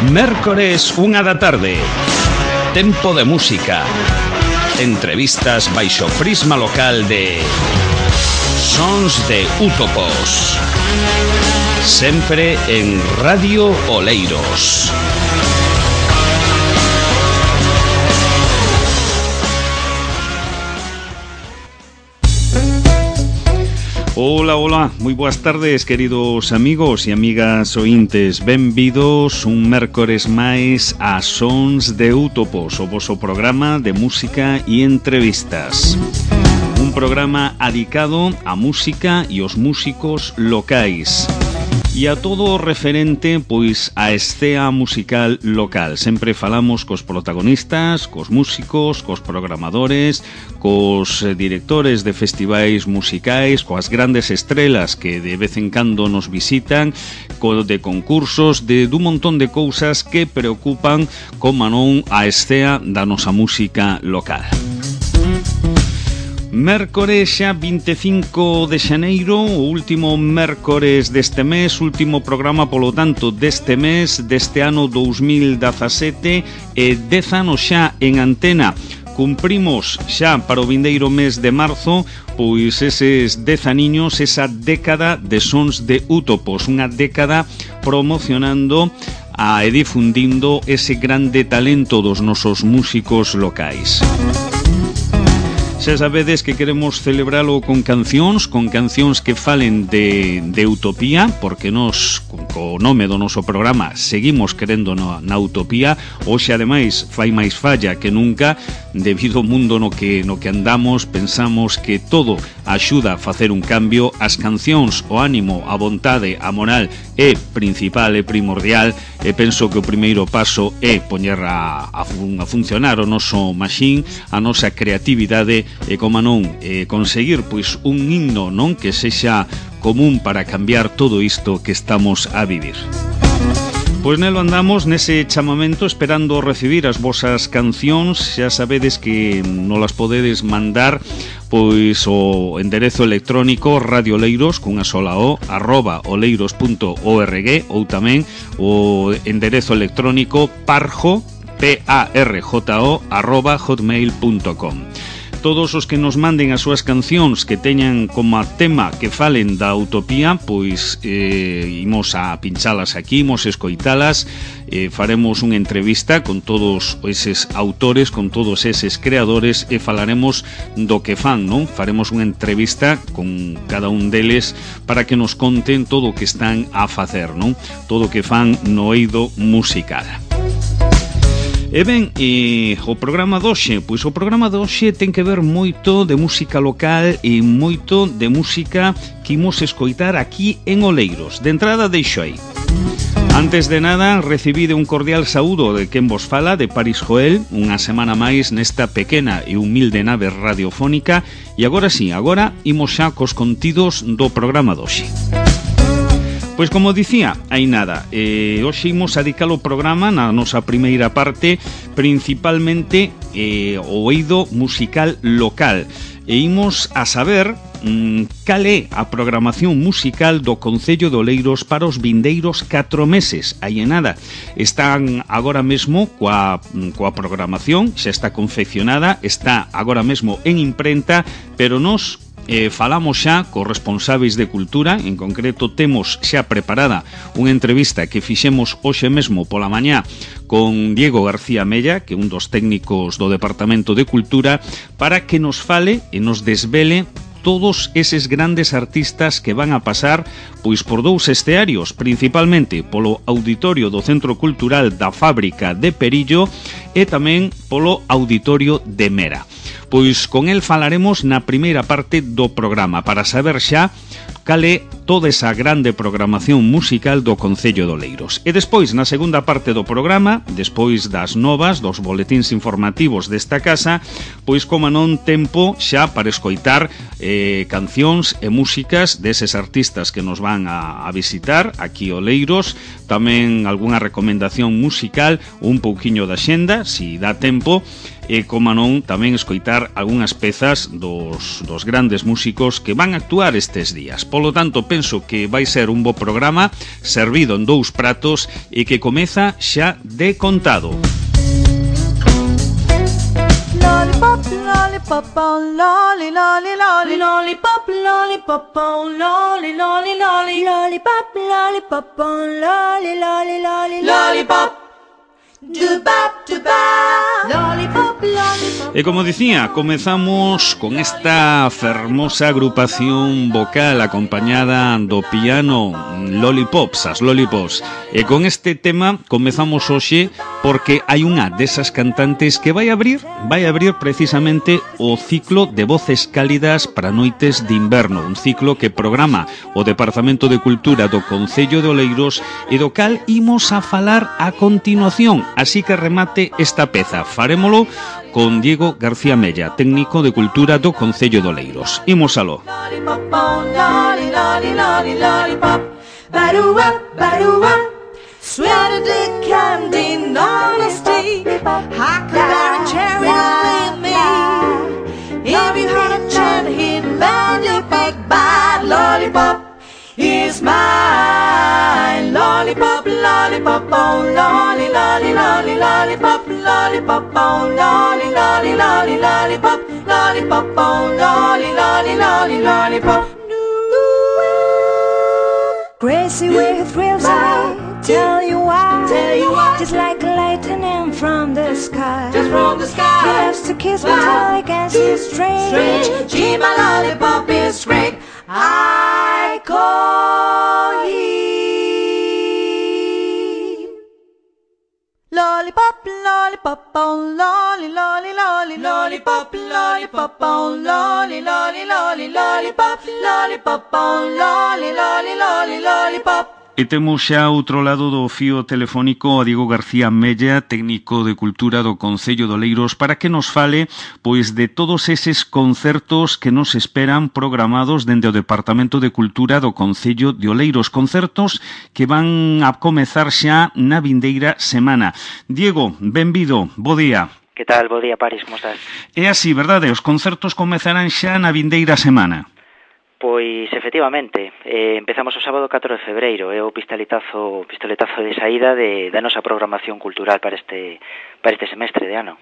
Mércores, 1 da tarde. Tempo de música. Entrevistas baixo prisma local de Sons de Útopos. Sempre en Radio Oleiros. Hola, hola, moi boas tardes, queridos amigos e amigas ointes. Benvidos un mércores máis a Sons de Útopos, o voso programa de música e entrevistas. Un programa adicado á música e aos músicos locais. E a todo referente, pois, a escena musical local. Sempre falamos cos protagonistas, cos músicos, cos programadores, cos directores de festivais musicais, coas grandes estrelas que de vez en cando nos visitan, de concursos, de dun montón de cousas que preocupan, como non, a escena da nosa música local. Mércores xa 25 de xaneiro, o último mércores deste mes, último programa polo tanto deste mes, deste ano 2017, e 10 anos xa en antena. Cumprimos xa para o vindeiro mes de marzo, pois eses 10 aniños, esa década de Sons de Útopos, unha década promocionando e difundindo ese grande talento dos nosos músicos locais. Xa sabedes que queremos celebralo con cancións que falen de utopía, porque nos, co nome do noso programa, seguimos querendo na utopía. Hoxe, ademais, fai máis falla que nunca, debido ao mundo no que andamos. Pensamos que todo axuda a facer un cambio. As cancións, o ánimo, a vontade, a moral é principal, é primordial, e penso que o primeiro paso é poñer a funcionar o noso machín, a nosa creatividade, e como non, conseguir pois un himno, non, que sexa común para cambiar todo isto que estamos a vivir. Pois nelo andamos, nese chamamento, esperando recibir as vosas cancións. Xa sabedes que nolas podedes mandar pois o enderezo electrónico radioleiros, cunha sola o, @oleiros.org, ou tamén o enderezo electrónico parjo, parjo, @hotmail.com. Todos os que nos manden as súas cancións que teñan como tema que falen da utopía, pois imos a pinchalas aquí, imos escoitalas, faremos unha entrevista con todos eses autores, con todos eses creadores, e falaremos do que fan, non? Faremos unha entrevista con cada un deles para que nos conten todo o que están a facer, non? Todo o que fan no eido musical. E ben, o programa doxe, pois o programa doxe ten que ver moito de música local e moito de música que imos escoitar aquí en Oleiros. De entrada deixo aí. Antes de nada, recibide un cordial saúdo de quen vos fala, de Paris Joel, unha semana máis nesta pequena e humilde nave radiofónica. E agora sí, agora imos xa cos contidos do programa doxe. Pois como dicía, hai nada, hoxe imos a dedicar o programa na nosa primeira parte principalmente o eido musical local, e imos a saber cal é a programación musical do Concello de Oleiros para os vindeiros 4 meses. Aí nada, están agora mesmo coa programación, xa está confeccionada, está agora mesmo en imprenta, pero nos falamos xa cos responsáveis de cultura. En concreto temos xa preparada unha entrevista que fixemos hoxe mesmo pola mañá con Diego García Mella, que é un dos técnicos do Departamento de Cultura, para que nos fale e nos desvele todos eses grandes artistas que van a pasar pois por dous escearios, principalmente polo auditorio do Centro Cultural da Fábrica de Perillo e tamén polo auditorio de Mera. Pois con el falaremos na primeira parte do programa para saber xa cal é toda esa grande programación musical do Concello de Oleiros. E despois, na segunda parte do programa, despois das novas, dos boletíns informativos desta casa, pois como non, tempo xa para escoitar cancións e músicas deses artistas que nos van a visitar aquí Oleiros, tamén algunha recomendación musical, un pouquiño da xenda, si dá tempo, e, como non, tamén escoitar algunhas pezas dos grandes músicos que van a actuar estes días. Polo tanto, penso que vai ser un bo programa servido en 2 pratos e que comeza xa de contado. Lollipop, lollipop, oh, lolly, lolly, lolly, lollipop, lollipop, oh, lolly, lolly, lolly, lollipop, lollipop, oh, lolly, lolly, lolly, lollipop. E como dicía, comezamos con esta fermosa agrupación vocal acompañada do piano Lollipops, as Lollipops. E con este tema comezamos hoxe porque hai unha desas cantantes que vai abrir precisamente o ciclo de voces cálidas para noites de inverno, un ciclo que programa o Departamento de Cultura do Concello de Oleiros e do cal imos a falar a continuación. Así que remate esta peza, farémolo con Diego García Mella, técnico de Cultura do Concello de Oleiros. Imos aló. Is mine, lollipop, lollipop, oh, lolly, lolly, lolly, lollipop, lollipop, oh, lolly, lolly, lolly, lollipop, lollipop, oh, lolly, lolly, lolly, lollipop. Crazy way thrills away, tell you why, just like lightning from the sky, just from the sky. He loves to kiss me till I can see straight. Gee, my lollipop is great. I call him lollipop, lollipop, oh, lolly, lolly, lolly, lollipop, lollipop, oh, lolly, lolly, lolly, lollipop, lollipop, oh, lolly, lolly, lolly, lollipop. E temos xa outro lado do fío telefónico a Diego García Mella, técnico de Cultura do Concello de Oleiros, para que nos fale pois de todos eses concertos que nos esperan programados dende o Departamento de Cultura do Concello de Oleiros, concertos que van a comezar xa na vindeira semana. Diego, benvido, bo día. Que tal, bo día, Paris, como estás? É así, verdade? Os concertos comezarán xa na vindeira semana. Pois, efectivamente, empezamos o sábado 4 de febreiro, é o pistoletazo de saída da nosa programación cultural para este semestre de ano.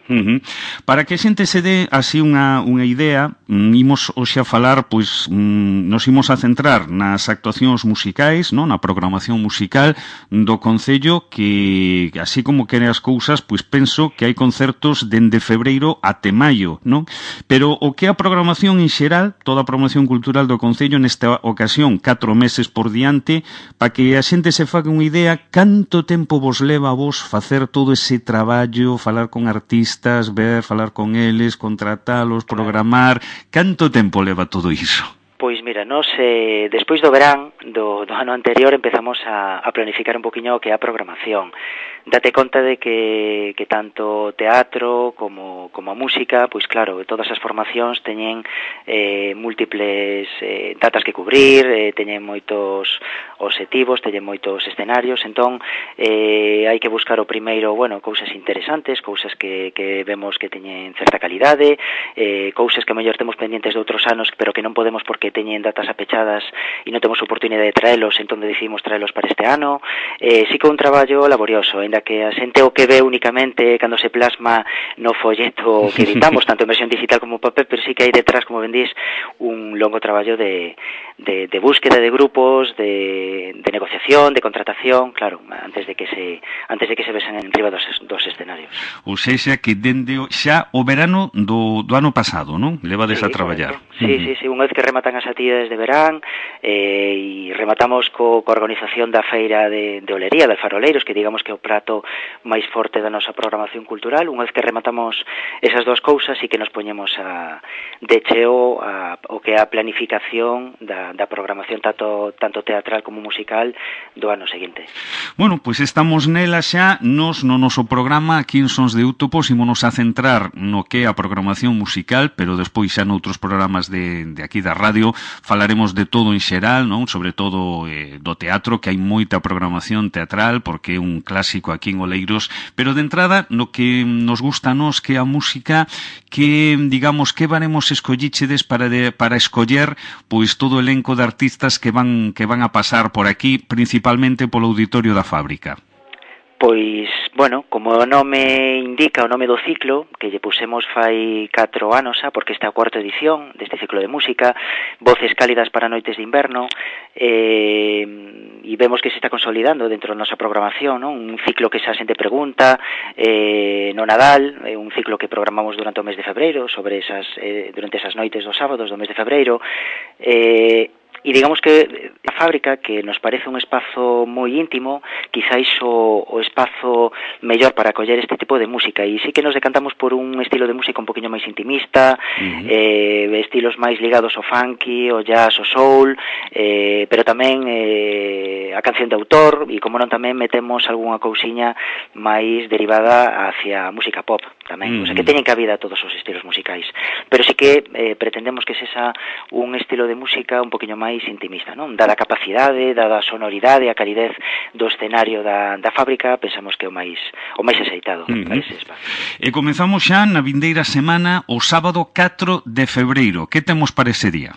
Para que a xente se dé así unha idea, imos hoxe a falar, pois nos imos a centrar nas actuacións musicais, non? Na programación musical do Concello, que así como quere as cousas, pois penso que hai concertos dende febreiro até maio, non? Pero o que é a programación en xeral, toda a programación cultural do Concello nesta ocasión, 4 meses por diante, para que a xente se faga unha idea canto tempo vos leva a vos facer todo ese traballo, falar con artistas, falar con eles, contratalos, programar, canto tempo leva todo iso? Pois mira, nós despois do verán do ano anterior empezamos a planificar un poquinho o que é a programación. Date conta de que tanto teatro como a música, pois claro, todas as formacións teñen múltiples datas que cubrir, teñen moitos obxectivos, teñen moitos escenarios, entón hai que buscar o primeiro, cousas interesantes, cousas que vemos que teñen certa calidade, cousas que a mellor temos pendientes de outros anos, pero que non podemos porque teñen datas apechadas e non temos oportunidade de traelos, entón decidimos traelos para este ano. Sí que é un traballo laborioso, ainda que a xente o que ve únicamente cando se plasma no folleto que editamos, tanto en versión digital como papel, pero sí que hai detrás, como ben dís, un longo traballo de búsqueda de grupos, de negociación, de contratación, claro, antes de que se vesen en riba dos escenarios. Ou seja, que dende xa o verano do ano pasado, non? Levades a traballar. Sí, unha vez que rematan as actividades de verán e rematamos coa organización da feira de Olería, de Faroleiros, que digamos que é o prato máis forte da nosa programación cultural. Unha vez que rematamos esas dúas cousas e que nos poñemos de cheo o que é a planificación da programación tanto teatral como musical do ano seguinte. Bueno, pois estamos nela xa, nos no noso programa aquí en Sons de Útopos ímonos a centrar no que é a programación musical, pero despois xa noutros programas de aquí da radio falaremos de todo en xeral, non? Sobre todo do teatro, que hai moita programación teatral porque é un clásico disco aquí en Oleiros, pero de entrada, no que nos gusta a nos que a música, que, digamos, que varemos escollichedes para escoller, pois todo o elenco de artistas que van a pasar por aquí, principalmente polo Auditorio da Fábrica. Pois, bueno, como o nome indica, o nome do ciclo, que lle pusemos fai 4 anos xa, porque esta é a cuarta edición deste ciclo de música, Voces cálidas para noites de inverno, e vemos que se está consolidando dentro da nosa programación, non? Un ciclo que xa a xente pregunta, no Nadal, un ciclo que programamos durante o mes de febreiro, sobre durante esas noites dos sábados do mes de febreiro, e digamos que a fábrica, que nos parece un espazo moi íntimo, quizáis o espazo mellor para acoller este tipo de música, e sí que nos decantamos por un estilo de música un poquinho máis intimista, estilos máis ligados ao funky, ao jazz, ao soul, pero tamén a canción de autor, e como non tamén metemos algunha cousiña máis derivada hacia a música pop tamén, o sea que teñen cabida todos os estilos musicais, pero sí que pretendemos que sexa un estilo de música un poquinho máis intimista, non? Dada a capacidade, dada a sonoridade, a calidez do escenario da fábrica, pensamos que é o máis axeitado para ese espacio. E comezamos xa na vindeira semana, o sábado 4 de febreiro. Que temos para ese día?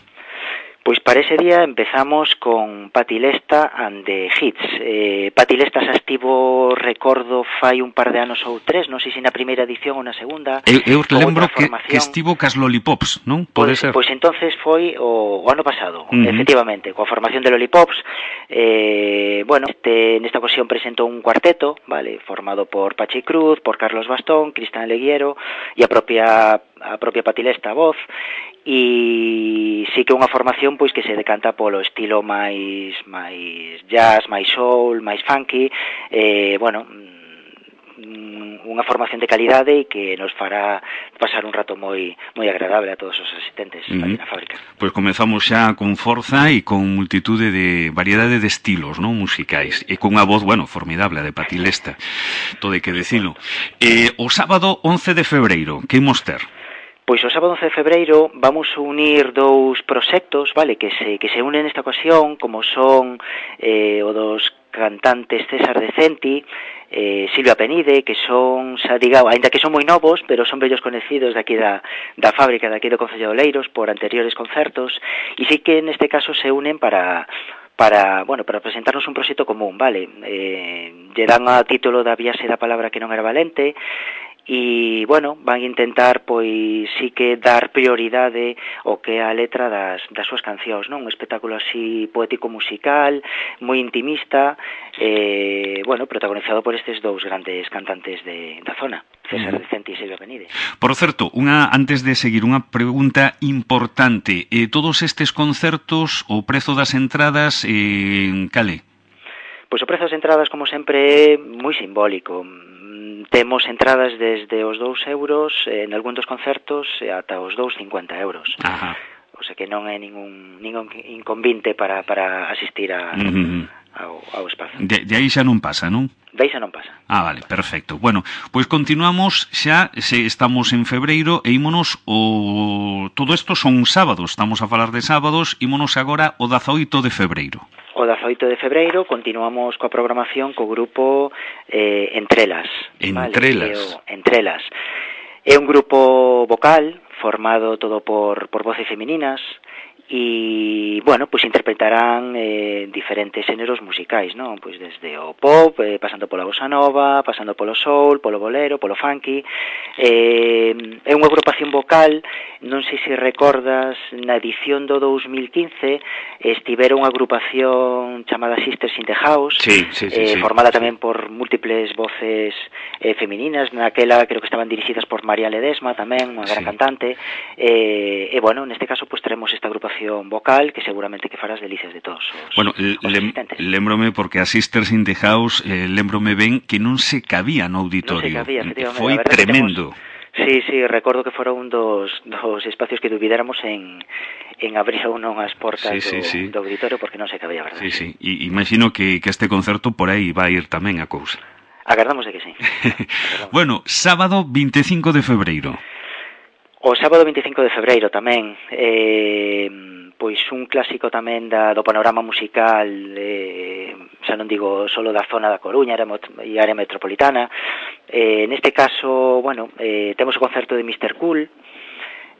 Pois para ese día empezamos con Patti Lesta and the Hits. Patti Lesta xa estivo, recordo, fai un par de anos ou 3, non sei se na primeira edición ou na segunda. Eu lembro que estivo cas Lollipops, non? Pode ser. Pois entonces foi o ano pasado, efectivamente, coa formación de Lollipops. Bueno, nesta ocasión presentou un cuarteto, vale, formado por Pachi Cruz, por Carlos Bastón, Cristian Leguiero e a propia Patti Lesta a voz, e sí que unha formación pois que se decanta polo estilo máis jazz, máis soul, máis funky, bueno, unha formación de calidade e que nos fará pasar un rato moi agradable a todos os asistentes aquí na fábrica. Pois comezamos xa con forza e con multitude de variedade de estilos, non, musicais, e con unha voz, bueno, formidable, a de Patti Lesta, todo hai que decilo. O sábado 11 de febreiro, que imos ter? Pois o sábado 11 de febreiro vamos unir dous proxectos, vale, que se unen nesta ocasión, como son o dos cantantes César Decenti, Silvia Penide, que son, xa digamos, ainda que son moi novos, pero son vellos conhecidos de aquí da fábrica, de aquí do Concello de Oleiros, por anteriores concertos, e sí que neste caso se unen para presentarnos un proxecto común, vale? Lle dan a título da Viaxe da Palabra que non era valente, e, bueno, van intentar, pois, sí que dar prioridade ao que é a letra das súas cancións, non? Un espectáculo así poético-musical, moi intimista, bueno, protagonizado por estes dous grandes cantantes da zona, César Decenti e Silvia Penide. Por certo, antes de seguir, unha pregunta importante. Todos estes concertos, o prezo das entradas, cale? Pois o prezo das entradas, como sempre, é moi simbólico. Temos entradas desde os 2 euros en algún dos concertos ata os 2,50 euros. Ajá. O sea que non é ningún inconvinte para asistir ao espazo. De aí xa non pasa, non? De aí xa non pasa. Vale, perfecto. Bueno, pois continuamos xa, estamos en febreiro e ímonos todo isto son sábados, estamos a falar de sábados, ímonos agora o 18 de febreiro. O 18 de febreiro continuamos coa programación co grupo Entrelas. Entrelas. Vale? Entrelas. É un grupo vocal formado todo por voces femininas e, bueno, pois interpretarán diferentes xéneros musicais, non? Pois desde o pop, pasando pola bossa nova, pasando polo soul, polo bolero, polo funky. É unha agrupación vocal, non sei se recordas, na edición do 2015 estiveron unha agrupación chamada Sisters in the House, sí, formada tamén por múltiples voces femininas, naquela creo que estaban dirixidas por María Ledesma tamén, unha gran cantante, e, bueno, neste caso pues teremos esta agrupación vocal que seguramente que farás delicias de todos os asistentes. Lembrome porque a Sisters in the House lembrome ben que non se cabía no auditorio. Non se cabía, efectivamente. Foi tremendo. Sí, recordo que fora un dos espacios que dubidáramos en abrir ou non as portas do auditorio porque non se cabía, verdade? Sí. E imagino que este concerto por aí vai ir tamén a cousa. Agardamos de que sí. Bueno, sábado 25 de febreiro. O sábado 25 de febreiro tamén, pois un clásico tamén do panorama musical, xa non digo solo da zona da Coruña e área metropolitana. Neste caso, bueno, temos o concerto de Mr. Cool,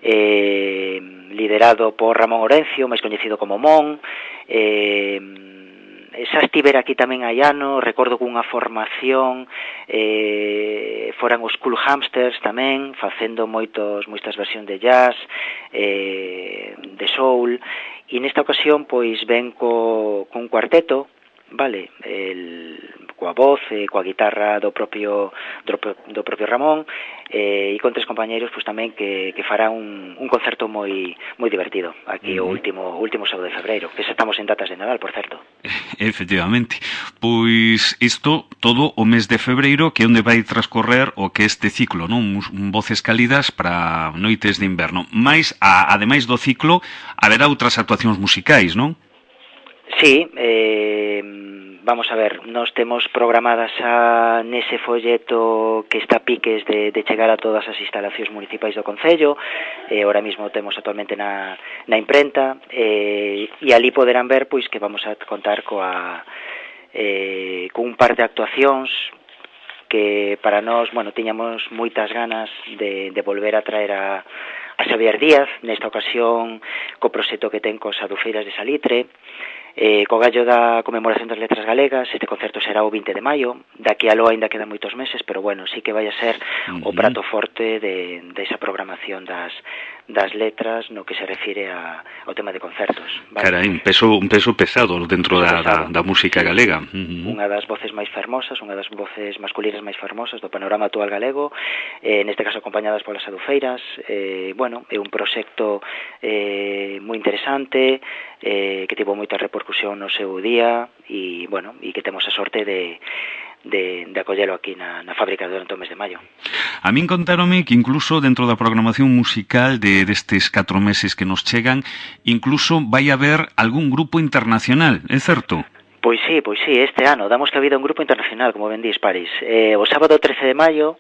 liderado por Ramón Orencio, máis coñecido como Mon. Xa estiver aquí tamén hai ano, recordo cunha formación, foran os Cool Hamsters tamén, facendo moitas versións de jazz, de soul, e nesta ocasión pois ven con cuarteto, vale, coa voz, coa guitarra do propio Ramón, e con tres compañeiros pois tamén que fará un concerto moi divertido aquí o último sábado de febreiro, que xa estamos en datas de Nadal, por certo. Efectivamente. Pois isto todo o mes de febreiro, que é onde vai transcorrer o que este ciclo, non? Voces cálidas para noites de inverno. Mais, ademais do ciclo, haberá outras actuacións musicais, non? Sí, vamos a ver, nós temos programadas nese folleto que está a piques de chegar a todas as instalacións municipais do Concello, ahora mismo temos actualmente na imprenta, e ali poderán ver pois que vamos a contar con un par de actuacións que para nós, bueno, tiñamos moitas ganas de volver a traer a Xavier Díaz, nesta ocasión co proxecto que ten cos Adufeiras de Salitre, co gallo da conmemoración das letras galegas. Este concerto será o 20 de maio, daqui a lo ainda quedan moitos meses, pero bueno, sí que vai a ser o prato forte desa programación das letras no que se refire ao tema de concertos, vale? Carai, un peso pesado dentro da música galega. Unha das voces máis fermosas, unha das voces masculinas máis fermosas do panorama actual galego, neste caso acompañadas polas Adufeiras. Bueno, é un proxecto moi interesante, que tivo moita repercusión no seu día, e bueno, e que temos a sorte de acollelo aquí na fábrica durante o mes de maio. A min contáronme que incluso dentro da programación musical destes 4 meses que nos chegan, incluso vai haber algún grupo internacional, é certo? Pois sí, este ano damos cabida a un grupo internacional, como ben dis, Paris. O sábado 13 de maio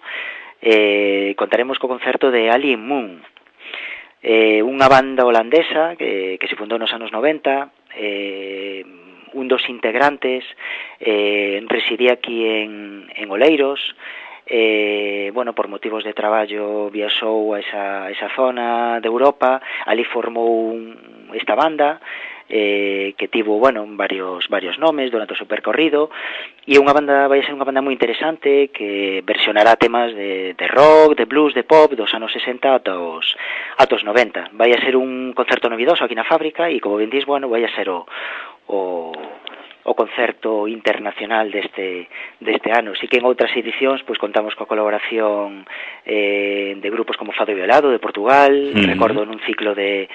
contaremos co concerto de Alien Moon, unha banda holandesa que se fundou nos anos 90, un dos integrantes residía aquí en Oleiros, bueno, por motivos de traballo viaxou a esa zona de Europa, ali formou esta banda, que tivo, bueno, varios nomes durante o seu percorrido, e vai ser unha banda moi interesante que versionará temas de rock, de blues, de pop dos anos 60 ata os 90. Vai a ser un concerto novidoso aquí na fábrica, e como ben dis, bueno, vai a ser o concerto internacional deste ano. Si que en outras edicións pois contamos coa colaboración de grupos como Fado Violado de Portugal, recordo nun ciclo de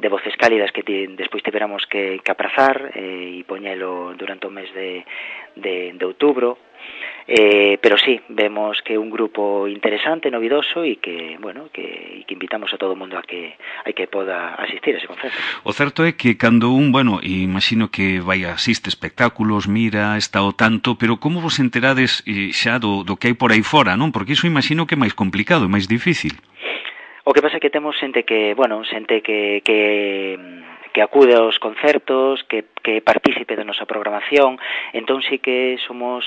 voces cálidas que despois tiveramos que aprazar e poñelo durante o mes de outubro. Pero sí, vemos que é un grupo interesante, novidoso, e que, bueno, que invitamos a todo o mundo a que poda asistir a ese concerto. O certo é que cando bueno, imagino que vai asiste espectáculos, mira, está o tanto, pero como vos enterades xa do que hai por aí fora, non? Porque iso imagino que é máis complicado, máis difícil. O que pasa é que temos xente que acude aos concertos, que participe da nosa programación, entón sí que somos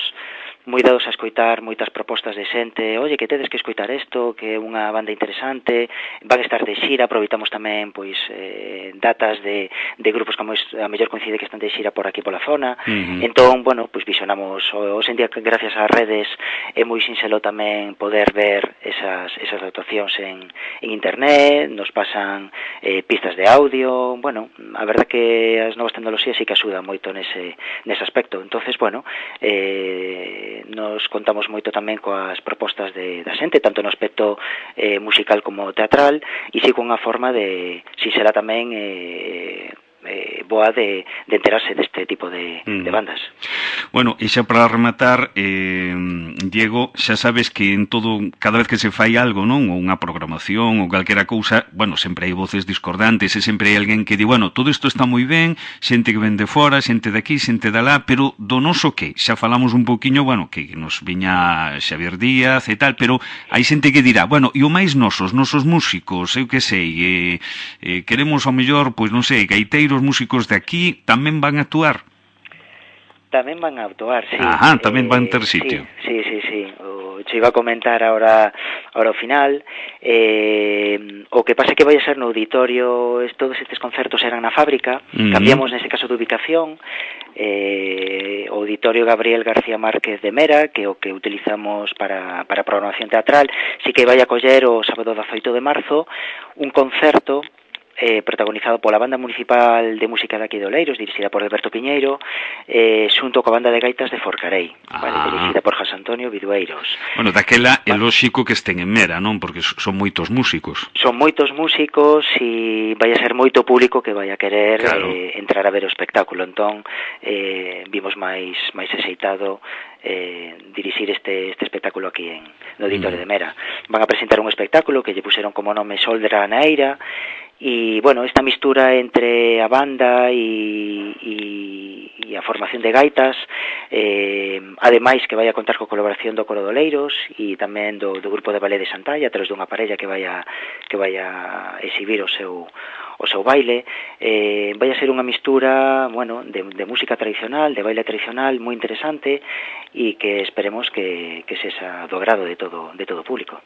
moi dados a escoitar moitas propostas de xente, oye, que tedes que escoitar isto, que é unha banda interesante, van a estar de xira, aproveitamos tamén pois datas de grupos que a mellor coincide que están de xira por aquí pola zona. Entón, bueno, pois visionamos hoxe en día, gracias ás redes, é moi sinxelo tamén poder ver esas actuacións en internet, nos pasan pistas de audio, bueno, a verdad que as novas tecnoloxías sí que axudan moito nese aspecto. Entonces, bueno, nos contamos moito tamén coas propostas da xente, tanto no aspecto musical como teatral, e si con unha forma de, si será tamén boa de enterarse deste tipo de bandas. Bueno, e xa para rematar, Diego, xa sabes que en todo, cada vez que se fai algo, non? Ou unha programación ou calquera cousa, bueno, sempre hai voces discordantes e sempre hai alguén que di, bueno, todo isto está moi ben, xente que ven de fora, xente de aquí, xente de alá, pero do noso que? Xa falamos un poquinho, bueno, que nos viña Xavier Díaz e tal, pero hai xente que dirá, bueno, e o máis nosos músicos, eu que sei, queremos ao mellor, pois non sei, gaiteiros, músicos de aquí, tamén van a actuar? Tamén van a actuar, sí. Ajá, tamén van ter sitio. Sí. Che iba a comentar ahora ao final. O que pasa é que vai a ser no auditorio, todos estes concertos eran na fábrica, cambiamos nese caso de ubicación, o auditorio Gabriel García Márquez de Mera, que é o que utilizamos para programación teatral, sí que vai a coller o sábado 18 de marzo un concerto protagonizado pola Banda Municipal de Música de aquí de Oleiros, dirixida por Alberto Piñeiro, xunto coa Banda de Gaitas de Forcarei, dirixida por José Antonio Vidueiros. Bueno, daquela é lóxico que estén en Mera, non? Porque son moitos músicos. Son moitos músicos e vai a ser moito público que vai a querer entrar a ver o espectáculo. Entón, vimos máis axeitado dirixir este espectáculo aquí no Auditorio de Mera. Van a presentar un espectáculo que lle puseron como nome Soldra na Eira, e, bueno, esta mistura entre a banda e a formación de gaitas, ademais que vai a contar coa colaboración do Coro de Oleiros e tamén do grupo de ballet de Santalla, a través dunha parella que vai a exhibir o seu baile. Vai a ser unha mistura, bueno, de música tradicional, de baile tradicional, moi interesante, e que esperemos que sexa do agrado de todo o público.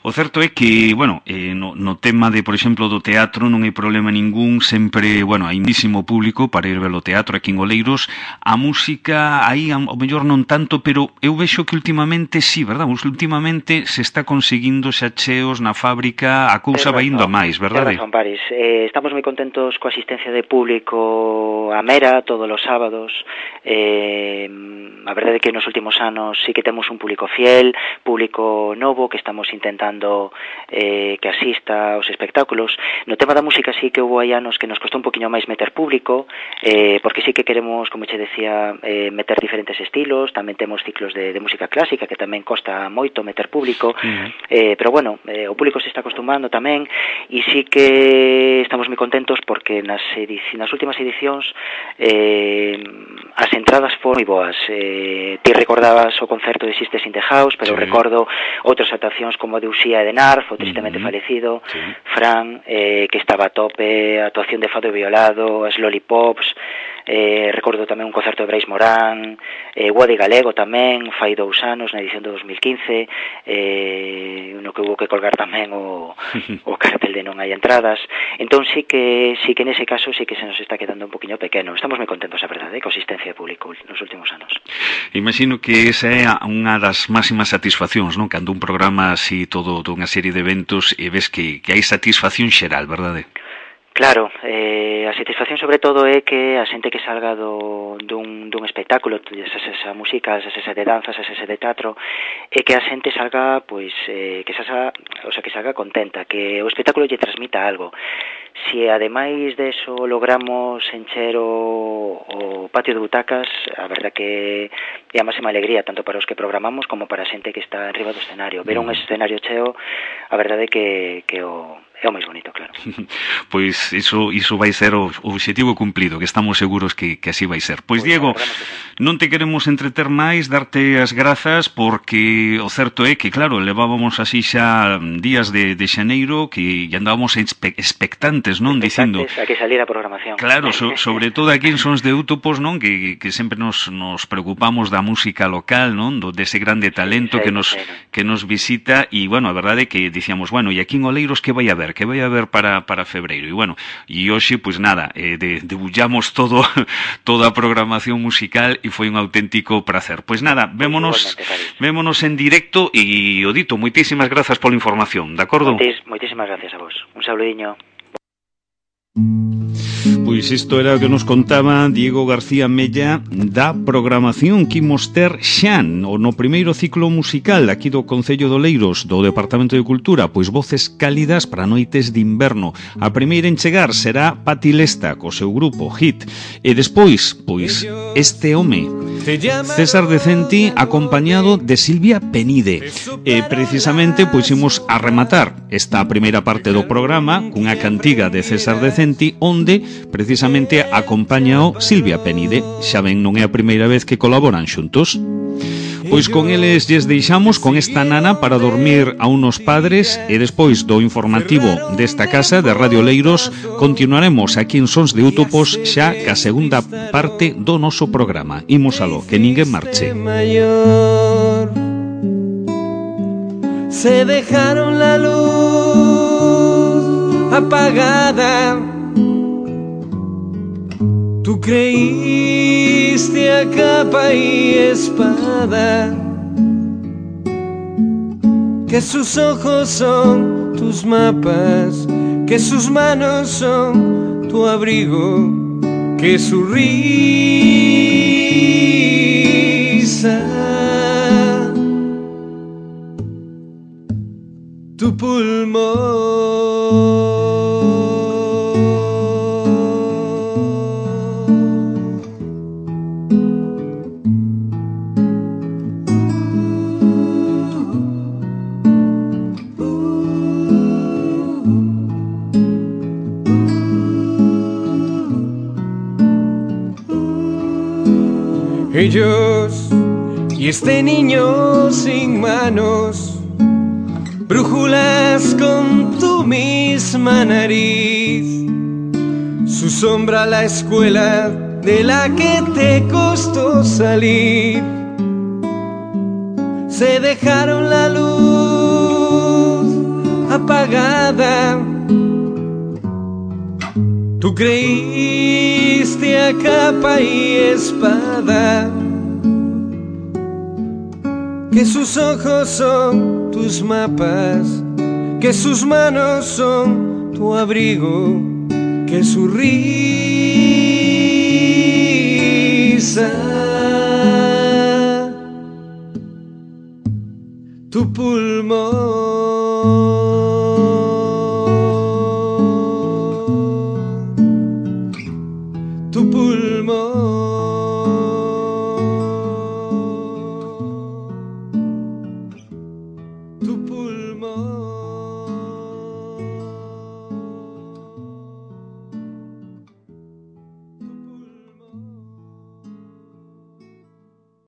O certo é que, bueno, no tema de, por exemplo, do teatro non hai problema ningún, sempre, bueno, hai muchísimo público para ir ver o teatro aquí en Oleiros. A música, aí, ao mellor non tanto, pero eu vexo que últimamente, sí, verdad? Últimamente se está conseguindo xa cheos na fábrica, a cousa vai indo a máis, verdade? Razón, Paris. Estamos moi contentos coa asistencia de público a Mera todos os sábados. A verdade é que nos últimos anos sí que temos un público fiel, público novo que estamos intentando que asista aos espectáculos. No tema da música sí que houve anos que nos costou un poquinho máis meter público, porque sí que queremos, como che decía, meter diferentes estilos. Tamén temos ciclos de música clásica que tamén costa moito meter público, pero bueno, o público se está acostumando tamén, e sí que estamos moi contentos porque nas últimas edicións as entradas foron moi boas. Ti recordabas o concerto de Sisters in the House, pero recordo outras actuacións como de Uxía e de Narf, o tristemente falecido Fran, que estaba a tope, a actuación de Fado Violado, as Lollipops. Recordo tamén un concerto de Brais Morán, Guadi Galego tamén, fai 2 anos na edición de 2015, no que hubo que colgar tamén o cartel de non hai entradas. Entón sí que nese caso sí que se nos está quedando un poquinho pequeno. Estamos moi contentos, a verdade, coa asistencia de público nos últimos anos. Imagino que esa é unha das máximas satisfaccións, non? Cando un programa así todo unha serie de eventos e ves que hai satisfacción xeral, verdade? Claro, a satisfacción sobre todo é que a xente que salga dun espectáculo, esa música, esa de danzas, esa de teatro, é que a xente salga, pois, que salga contenta, que o espectáculo lle transmita algo. Si ademais de eso logramos encher o patio de butacas, a verdad que é a máxima alegría tanto para os que programamos como para a xente que está arriba do escenario. Ver un escenario cheo, a verdade que é o máis bonito, claro. Pois iso vai ser o obxectivo cumplido, que estamos seguros que así vai ser. Pois Diego, non te queremos entreter máis, darte as grazas, porque o certo é que, claro, levábamos así xa días de xaneiro que andábamos expectantes, non? Dicindo a que salir a programación. Claro, sobre todo aquí en Sons de Útopos, non? Que sempre nos preocupamos da música local, non? Dese grande talento que nos visita, e, bueno, a verdade é que dicíamos, bueno, e aquí en Oleiros que vai haber para febreiro, e bueno, e hoxe, pois nada, debullamos toda a programación musical e foi un auténtico placer. Pois nada, vémonos en directo, e o dito, moitísimas grazas pola información, de acordo? Moitísimas gracias a vos. Un saludiño. Pois isto era o que nos contaba Diego García Mella da programación que imos ter xa no primeiro ciclo musical aquí do Concello de Oleiros, do Departamento de Cultura, pois voces cálidas para noites de inverno. A primeira en chegar será Pati Lesta co seu grupo Hit, e despois, pois, este home César Decenti acompañado de Silvia Penide. E precisamente pois imos a rematar esta primeira parte do programa cunha cantiga de César Decenti onde precisamente acompáñao Silvia Penide. Xa ven, non é a primeira vez que colaboran xuntos. Pois con eles lles deixamos con esta nana para dormir a unos padres e despois do informativo desta casa de Radio Leiros continuaremos aquí en Sons de Útopos xa ca segunda parte do noso programa. Imos aló, que ninguén marche. Se dejaron la luz apagada. Tú creíste a capa y espada que sus ojos son tus mapas, que sus manos son tu abrigo, que su risa tu pulmón. Ellos y este niño sin manos, brújulas con tu misma nariz, su sombra la escuela de la que te costó salir. Se dejaron la luz apagada. Tú creíste a capa y espada que sus ojos son tus mapas, que sus manos son tu abrigo, que su risa tu pulmón.